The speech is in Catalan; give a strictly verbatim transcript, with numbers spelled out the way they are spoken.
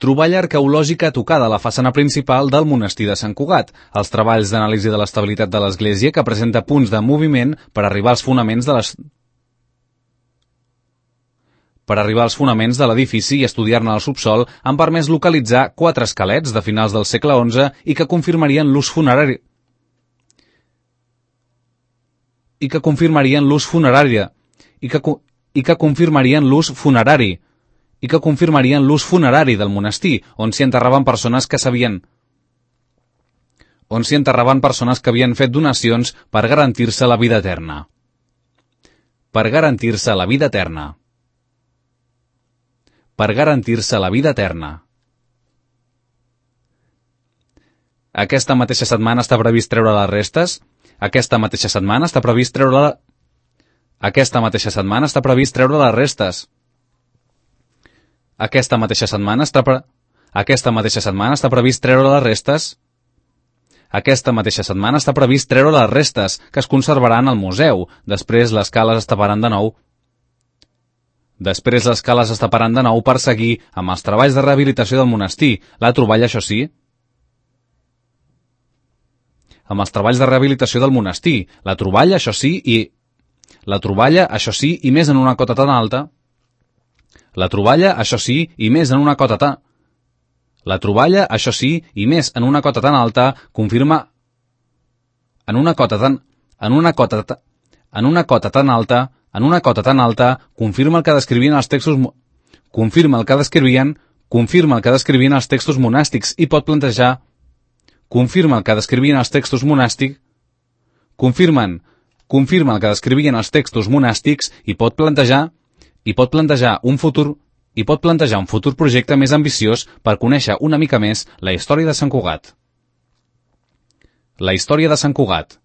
Troballa arqueològica tocada a la façana principal del monestir de Sant Cugat. Els treballs d'anàlisi de l'estabilitat de l'església, que presenta punts de moviment per arribar als fonaments de les... per arribar als fonaments de l'edifici i estudiar-ne el subsol, han permès localitzar quatre esquelets de finals del segle onze i que confirmarien l'ús funerari i que confirmarien l'ús funerari i que, i que confirmarien l'ús funerari i que confirmarien l'ús funerari del monestir, on s'hi enterraven persones que sabien on s'hi enterraven persones que havien fet donacions per garantir-se la vida eterna. Per garantir-se la vida eterna. Per garantir-se la vida eterna. Aquesta mateixa setmana està previst treure les restes. Aquesta mateixa setmana està previst treure la... Aquesta mateixa setmana està previst treure les restes. Aquesta mateixa setmana està pre... Aquesta mateixa setmana està previst treure les restes. Aquesta mateixa setmana està previst treure les restes, que es conservaran al museu. Després les cales es taparan de nou. Després les cales es taparan de nou per seguir amb els treballs de rehabilitació del monestir. La troballa, això sí. Amb els treballs de rehabilitació del monestir. La troballa, això sí, i... La troballa, això sí, i més en una cota tan alta. La troballa, això sí, i més en una cota tan... La troballa, això sí, i més en una cota tan alta, confirma... En una cota tan... En una cota tan... En una cota tan alta... En una cota tan alta, confirma el que descrivien els textos... Confirma el que descrivien... Confirma el que descrivien els textos monàstics i pot plantejar... Confirma el que descrivien els textos monàstics... Confirmen... Confirma el que descrivien els textos monàstics i pot plantejar... i pot plantejar un futur i pot plantejar un futur projecte més ambiciós per conèixer una mica més la història de Sant Cugat. La història de Sant Cugat.